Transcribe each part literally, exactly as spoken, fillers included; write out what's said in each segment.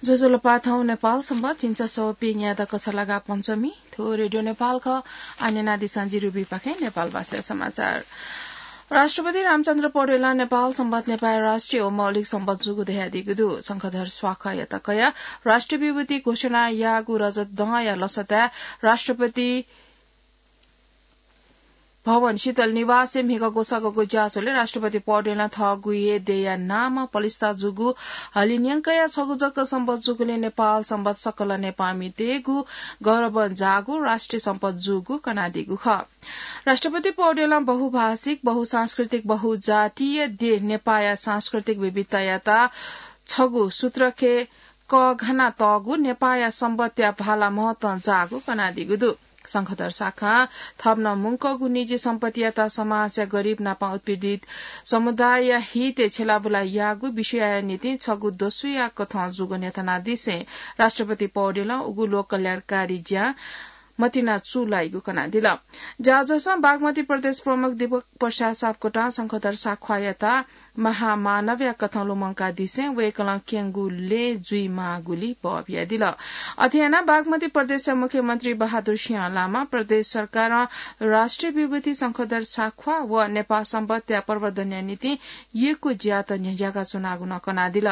ज्वजलपा, थौं नेपाल संवत् झिंछसः व प्यंगू यात कछलागा पञ्चमी। थ्व रेडियो नेपाल खः। आः न्यनादिसँ जि रुबीपाखें नेपाल भाषाया समाचार। राष्ट्रपति रामचन्द्र पौडेलं नेपाल संवत् नेपाःया राष्ट्रिय व मौलिक संवत् जूगु धयादीगु दु। शंखधर साख्वाःयात कयाः राष्ट्रिय विभूति घोषणा याःगु रजत दँया लसताय् राष्ट्रपति भवन शीतल निवासय् म्हिगः ग्वसाःगु ज्याझ्वलय् राष्ट्रपति पौडेलं थःगु हे देय्‌या नामं पलिस्था जूगु हलिंन्यंकया छगू जक संवत् जूगुलिं नेपाल संवत् सकल नेपाःमितय्‌गु गौरवं जाःगु राष्ट्रिय संवत् जूगु कनादीगु खः। राष्ट्रपति पौडेलं बहुभाषिक, बहुसांस्कृतिक, बहुजातीय देय् नेपाःया सांस्कृतिक विविधतायात छगू सूत्रखे कःघाना तःगु नेपाःया संवत्‌या भाला महत्वं जाःगु कनादीगु दु। शंखधर साख्वां थप नं मुंकःगु निजी सम्पत्तियात समाजया गरिब नापं उत्पीडित समुदायया हितय् छ्यलाबुला याःगु विषयया निंतिं छगू दसुया कथं जूगु न्ह्यथनादिसें राष्ट्रपति पौडेलं उगु लोक कल्याणकारी ज्यां मतिना चूलाइगु कनादिल। ज्याझ्वलय् बागमती प्रदेश प्रमुख दीपक प्रसाद सापकोटां शंखधर साख्वाःयात महामानवया कथं लुमंकादिसें वय्‌कलं क्यंगु लँय् जुइमाःगुली बः बियादिल। अथे यानाः बागमती प्रदेशया मुख्यमन्त्री बहादुर सिंह लामां प्रदेश सरकारं राष्ट्रिय विभूति शंखधर साख्वाः व नेपाः संवत्‌या प्रवर्धनया निंतिं यक्व ज्यात न्ह्यज्याका च्वनागु नं कनादिल।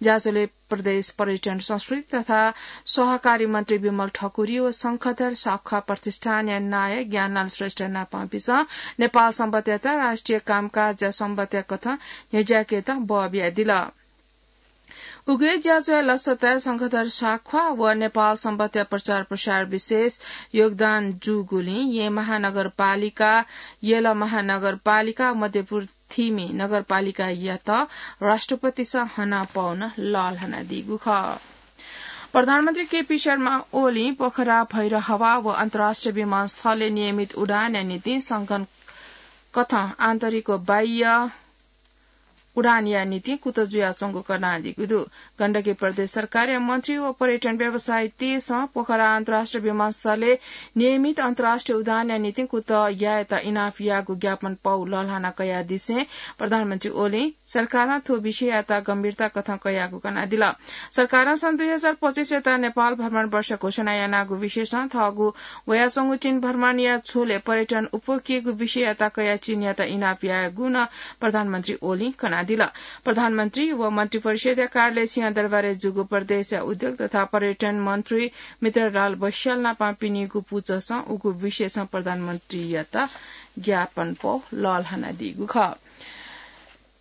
ज्याझ्वलय् प्रदेश पर्यटन, संस्कृति तथा सहकारी मन्त्री विमल ठकुरी व शंखधर साख्वाः प्रतिष्ठानया नायः ज्ञानलाल श्रेष्ठ नापंपिन्सं नेपाः संवत्‌यात राष्ट्रिय कामकाजया संवत्‌या कथं न्ह्यज्याकेत बः बियादिल। उगु हे ज्याझ्वलय् लसताय् शंखधर साख्वाः व नेपाः संवत्‌या प्रचार प्रसारय् विशेष योगदान जूगुलिं येँ महानगरपालिका, यल महानगरपालिका, मध्यपुर थिमि नगरपालिकायात राष्ट्रपतिसं हनापौ नं लःल्हानादीगु खः। प्रधानमन्त्री केपी शर्मा ओलीं पोखरा, भैरहवा व अन्तर्राष्ट्रिय विमानस्थलय् नियमित उडानया निंतिं संगठन कथं आन्तरिक व बाह्य उडानया निंतिं कुतः जुयाच्वंगु कनादीगु दु। गण्डकी प्रदेश सरकारया मन्त्री व पर्यटन व्यवसायीतय्‌सं पोखरा अन्तर्राष्ट्रिय विमानस्थलय् नियमित अन्तर्राष्ट्रिय उडानया निंतिं कुतः यायेत इनाप याःगु ज्ञापन पौ लःल्हाना कयादिसें प्रधानमन्त्री ओलीं सरकारं थ्व विषययात गम्भीरता कथं कयागु कनादिल। सरकारं सन् दुई हजार पच्चिसयात नेपाल भ्रमण वर्ष घोषणा यानागु विषयसं थःगु वयाच्वंगु चीन भ्रमणया झ्वलय् पर्यटन उप्वःकेगु विषययात कयाः चीनयात इनाप याःगु नं प्रधानमन्त्री ओलीं कनादिल। प्रधानमन्त्री व मन्त्रिपरिषदया कार्यालय सिंहदरबारय् जूगु प्रदेशया उद्योग तथा पर्यटन मन्त्री मित्रलाल बस्याल नापं पिनिगु पुचःसं उगु विषयसं प्रधानमन्त्रीयात ज्ञापन पौ लःल्हानादीगु खः।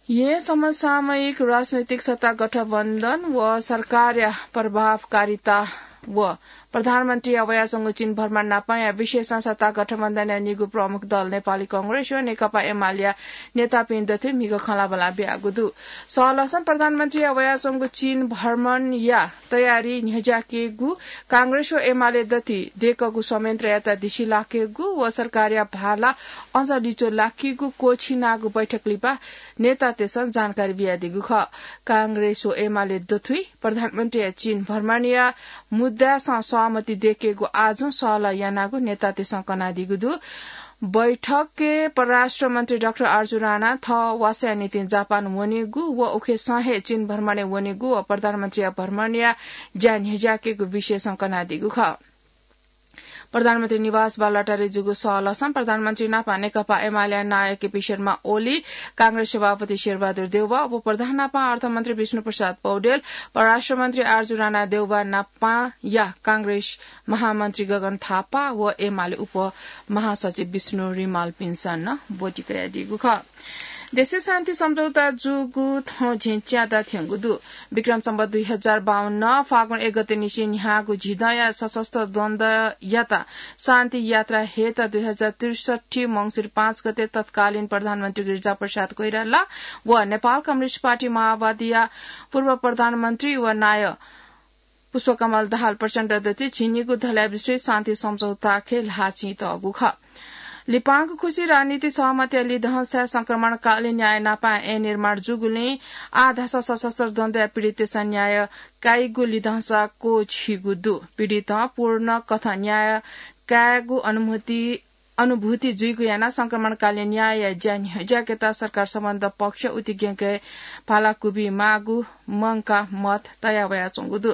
येँ समसामयिक राजनैतिक सत्ता गठबन्धन व सरकारया प्रभावकारिता व प्रधानमन्त्रीया वयाच्वंगु चीन भ्रमण नापंया विषयसं सत्ता गठबन्धनया निगू प्रमुख दल नेपाली कांग्रेस व नेकपा एमालेया नेतापिं दथुइ म्हिगः खँल्हाबल्हा बियागु दु। सहलहसं प्रधानमन्त्रीया वयाच्वंगु चीन भ्रमणया तयारी न्ह्यज्याकेगु, कांग्रेस व एमाले दथुइ दय्‌कूगु संयन्त्रयात दिसिलाकेगु व सरकारया भाला अझ लिच्वः लाकेगु क्वःछिनागु बैठक लिपा नेतातय्‌सं जानकारी बियादीगु खः। कांग्रेस व एमाले दथुइ प्रधानमन्त्रीया चीन भ्रमणया मुद्दासं सहमति दय्‌केगु आजुं सहलह यानागु नेतातय्‌सं कनादीगु दु। बैठकय् परराष्ट्र मन्त्री डाक्टर आरजु राणा थः वासःया निंतिं जापान वनेगु व उखेसं हे चीन भ्रमणय् वनेगु व प्रधानमन्त्रीया भ्रमणया ज्या न्ह्यज्याकेगु विषयसं कनादीगु खः। प्रधानमन्त्री निवास बालुवाटारय् जूगु सहलहसं प्रधानमन्त्री नापं नेकपा एमालेया नायः केपी शर्मा ओली, कांग्रेस सभापति शेरबहादुर देउवा, उपप्रधान नापं अर्थमन्त्री विष्णुप्रसाद पौडेल, परराष्ट्र मन्त्री आरजु राणा देउवा नापंया कांग्रेस महामन्त्री गगन थापा व एमाले उपमहासचिव विष्णु रिमालपिन्सं नं ब्वति कयादीगु खः। देशय् शान्ति सम्झौता जूगु थौं झिंच्यादँ थ्यंगु दु। विक्रम सम्वत दुई हजार बाउन्न फागुन एक गते निसें न्ह्याःगु झिदँया सशस्त्र द्वन्द्वयात शान्ति यात्रा हयेत दुई हजार त्रिसट्ठी मंसिर पाँच गते तत्कालीन प्रधानमन्त्री गिरिजाप्रसाद कोइराला व नेपाल कम्युनिस्ट पार्टी माओवादीया पूर्व प्रधानमन्त्री व नायः पुष्पकमल दाहाल प्रचण्ड दथुइ झिंनिगू धल्याः विस्तृत शान्ति सम्झौताखे ल्हाः चिं तःगु खः। लिपांगु खुसी राजनीतिक सहमतिया लिधंसाय् संक्रमणकालीन न्याय नापं ऐन निर्माण जूगुलिं आः धाःसा सशस्त्र द्वन्द्वया पीडिततय्सं न्याय काइगु लिधंसा क्वःछिइगु दु। पीडितं पूर्ण कथं न्याय कायेगु अनुमति अनुभूति जुइगु यानाः संक्रमणकालीन न्यायया ज्या न्ह्यज्याकेत सरकार सम्बद्ध पक्ष उतिग्यंके भाला क्वबिमाःगु मंकाः मत तया वयाच्वंगु दु।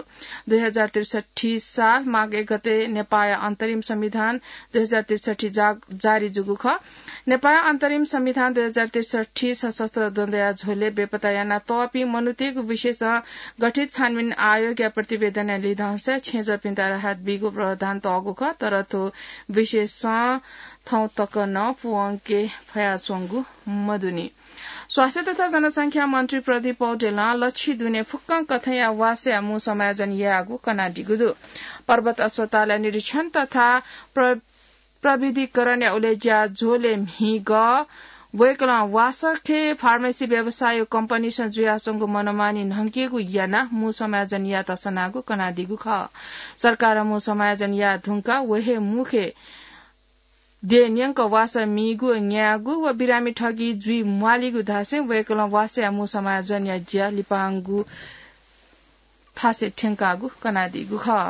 दुई हजार त्रिसठी साल माघ एक गते नेपाःया अन्तरिम संविधान दुई हजार त्रिसठी जा-, जारी जूगु खः। नेपाःया अन्तरिम संविधान दुई हजार त्रिसठी सशस्त्र द्वन्द्वया झ्वलय् बेपत्ता यानातःपिं मनूतय्गु विषयसं गठित छानबिन आयोगया प्रतिवेदनया लिधंसाय् छेँजःपिन्त राहत बीगु प्रावधान तःगु खः, तर थ्व विषयसं थौं तक नं पूवंके फयाच्वंगु मदुनि। स्वास्थ्य तथा जनसंख्या मन्त्री प्रदीप पौडेलं लच्छि दुने फुक्कं कथंया वासया मू समायोजन याःगु कनादीगु दु। पर्वत अस्पतालया निरीक्षण तथा प्र-, प्रविधिकरणया उलेज्या झ्वलय् म्हिगः वय्कलं वासखे फार्मेसी व्यवसायया कम्पनीसं जुयाच्वंगु मनमानी न्हंकेगु यानाः मू समायोजन यायेत सनागु कनादीगु खः। सरकारं मू समायोजन याये धुंकाः व हे मुखे देय् न्यंक वासः मीगु, न्यायेगु व बिरामी ठगी जुइ म्वालीगु धासें वय्कलं वासःया मू समायोजनया ज्या लिपांगु थासय् थ्यंकागु कनादीगु खः।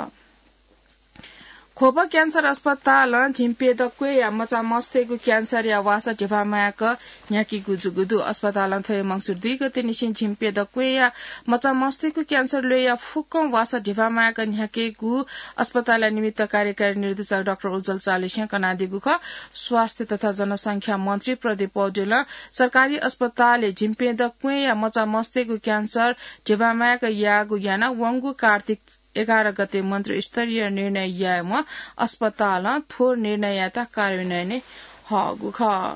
ख्वप क्यान्सर अस्पतालं झिंप्यदँ क्वय्या मचामस्तय्गु क्यान्सरया वासः धिबा माय्क न्ह्याकीगु जूगु दु। अस्पतालं थ्व हे मंसिर दुई गते निसें झिंप्यदँ क्वय्या मचामस्तय्गु क्यान्सर ल्वय्या फुक्कं वासः धिबा माय्क न्ह्याकेगु अस्पतालया निमित्त कार्यकारी निर्देशक डाक्टर उज्ज्वल चालिसें कनादीगु खः। स्वास्थ्य तथा जनसंख्या मन्त्री प्रदीप पौडेलं सरकारी अस्पतालय् झिंप्यदँ क्वय्या मचामस्तय्गु क्यान्सर धिबा माय्क याःगु यानाः वंगु कार्तिक एघार गते मन्त्रीस्तरीय निर्णय यायेवं अस्पतालं थ्व निर्णययात कार्यान्वयनय् हःगु खः।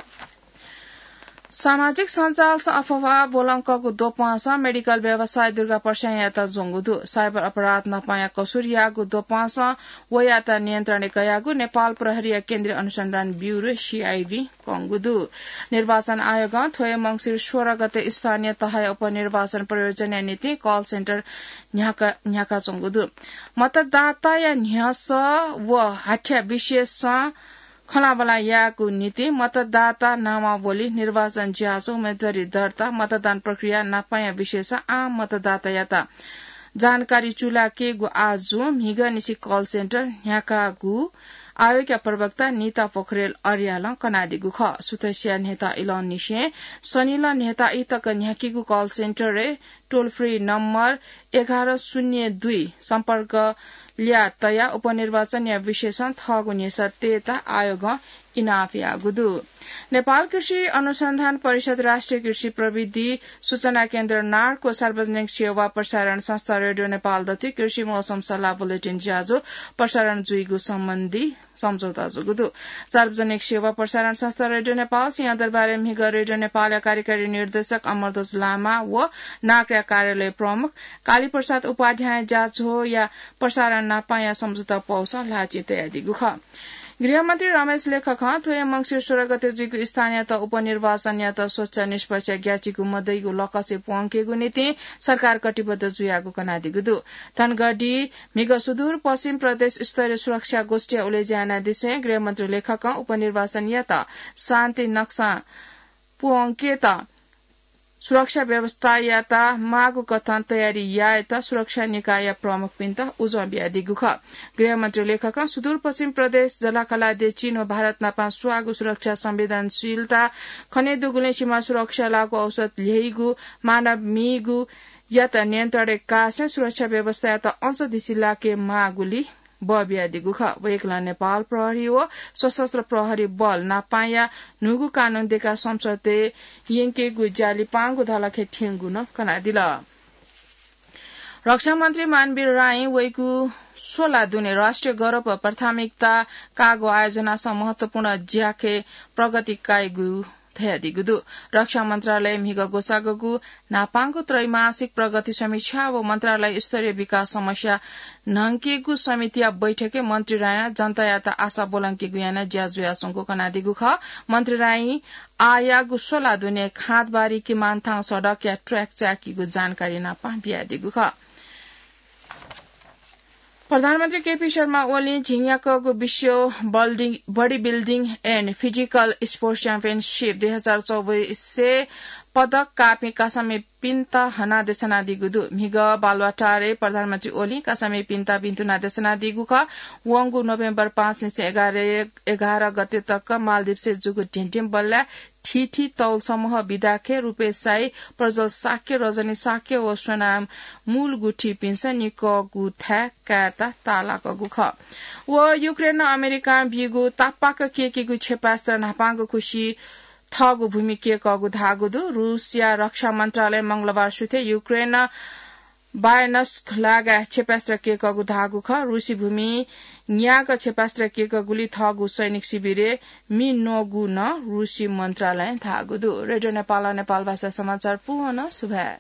सामाजिक सञ्जालसं अफवाह ब्वलंकःगु द्वपंसं मेडिकल व्यवसायी दुर्गा प्रसादयात ज्वंगु दु। साइबर अपराध नापांया कसुरयागु द्वपंसं वयात नियन्त्रणय् कयागु नेपाल प्रहरीया केन्द्रीय अनुसन्धान ब्यूरो, सीआइबी, कंगु दु। निर्वाचन आयोगं थ्व हे मंसिर सोह्र गते स्थानीय तहया उपनिर्वाचन प्रयोजनया निंतिं कल सेन्टर न्ह्याका, न्ह्याकाच्वंगु दु। मतदाताया न्ह्यसः व हाथ्या विशेषं खँल्हाबल्हा यायेगु निंतिं मतदाता नामावली, निर्वाचन ज्याझ्वः, उम्मेदवारी दर्ता, मतदान प्रक्रिया नापांया विषयसं आम मतदातायात जानकारी चूलाकेगु आजु म्हिगःनिसें कल सेन्टर न्ह्याकागु आयोगया प्रवक्ता निता पोखरेल अर्यालं कनादीगु खः। सुथसिया न्हय्ता इलंनिसें सनिलः न्हय्ता ई तक न्ह्याकीगु कल सेन्टरय् टोल फ्री नम्बर एघार शून्य दुई सम्पर्क ल्याः तयाः उपनिर्वाचनया विषयसं थःगु न्ह्यसः तयेत आयोगं इनाप याःगु दु। नेपाल कृषि अनुसन्धान परिषद, राष्ट्रिय कृषि प्रविधि सूचना केन्द्र, नार्क व सार्वजनिक सेवा प्रसारण संस्था रेडियो नेपाल दथुइ कृषि मौसम सल्लाह बुलेटिन ज्याझ्वः प्रसारण जुइगु सम्बन्धी सम्झौता जूगु दु। सार्वजनिक सेवा प्रसारण संस्था रेडियो नेपाल सिंहदरबारय् म्हिगः रेडियो नेपालया कार्यकारी निर्देशक अमरध्वज लामा व नार्कया कार्यालय प्रमुख कालीप्रसाद उपाध्यायं ज्याझ्वःया प्रसारण नापांया सम्झौता पौसं ल्हाःचिं तयादीगु खः। गृहमन्त्री रमेश लेखकं थ्व हे मंसिर सोह्र गते जुइगु स्थानीय तह उपनिर्वाचनयात स्वच्छ, निष्पक्ष, ग्याःचिकु मदइगु लकसय् प्वंकेगु निंतिं सरकार कटिबद्ध जुयागु कनादीगु दु। धनगढी म्हिगः सुदूरपश्चिम प्रदेश स्तरीय सुरक्षा गोष्ठीया उलेज्या यानादिसें गृहमन्त्री लेखकं उपनिर्वाचनयात शान्ति नक्सां प्वंकेत सुरक्षा व्यवस्थायात माःगु कथं तयारी यायेत सुरक्षा निकायया प्रमुखपिन्त उजं बियादीगु खः। गृहमन्त्री लेखकं सुदूरपश्चिम प्रदेश, जलाखला, देचिन व भारत नापं स्वाःगु सुरक्षा संवेदनशीलता खनेदुगुलिं सीमा सुरक्षा लागू औषध ल्ह्यइगु, मानव मीगु यात नियन्त्रणय् कासें सुरक्षा व्यवस्थायात अझ दिसिलाके माःगुली बः बियादीगु खः। वय्कलं नेपाल प्रहरी व सशस्त्र प्रहरी बल नापांया न्हूगु कानून देकाः संसदय् यंकेगु ज्या लिपांगु धलखय् थ्यंगु नं कनादिल। रक्षामन्त्री मानवीर राईं वइगु स्वला दुने राष्ट्रिय गौरव व प्राथमिकता काःगु आयोजनासं महत्वपूर्ण ज्याखय् प्रगति काइगु धयादीगु दु। रक्षा मन्त्रालय म्हिगः ग्वसाःगु न्हापांगु त्रैमासिक प्रगति समीक्षा व मन्त्रालय स्तरीय विकास समस्या न्हंकेगु समितिया बैठकय् मन्त्री राईं जनतायात आशा ब्वलंकेगु यानाः ज्या जुयाच्वंगु कनादीगु खः। मन्त्री राईं आःयागु स्वला दुने खाँदबारी किमानथान सडकया ट्र्याक चाय्‌कीगु जानकारी नापं बियादीगु खः। प्रधानमन्त्री केपी शर्मा ओलीं झिंन्याक्वःगु विश्व बल्डिङ, Bodybuilding and Physical Sports Championship दुई हजार चौबिसय् पदक काःपिं कासामिपिन्त हना देछानादीगु दु। म्हिगः बालुवाटारय् प्रधानमन्त्री ओलीं कासामिपिन्त भिन्तुना देछानादीगु खः। वंगु नोभेम्बर पाँच निसें एघार गते तक मालदिप्सय् जूगु ढिंढिंबल्लाय् थीथी तौल समूह विधाख्यः, रूपेश शाही, प्रज्वल शाक्य, रजनी शाक्य व सोनाम मूलगुथिपिन्सं निकःगु थाय् कायेत ताःलाकःगु खः। व युक्रेनं अमेरिकां बीगु तापाक कय्केगु क्षेपास्त्र न्हापांगु खुसि थःगु भूमि कय्कःगु धाःगु दु। रूसया रक्षा मन्त्रालयं मंगलबार सुथय् युक्रेनं बायनस्क लागाय् क्षेपास्त्र कय्कःगु धाःगु खः। रूसी भूमि न्याक क्षेपास्त्र कय्कःगुलिं थःगु सैनिक शिविरय् मि नःगु नं रूसी मन्त्रालयं धाःगु दु। रेडियो नेपालं नेपाल भाषा समाचार पूवं सुभाय्।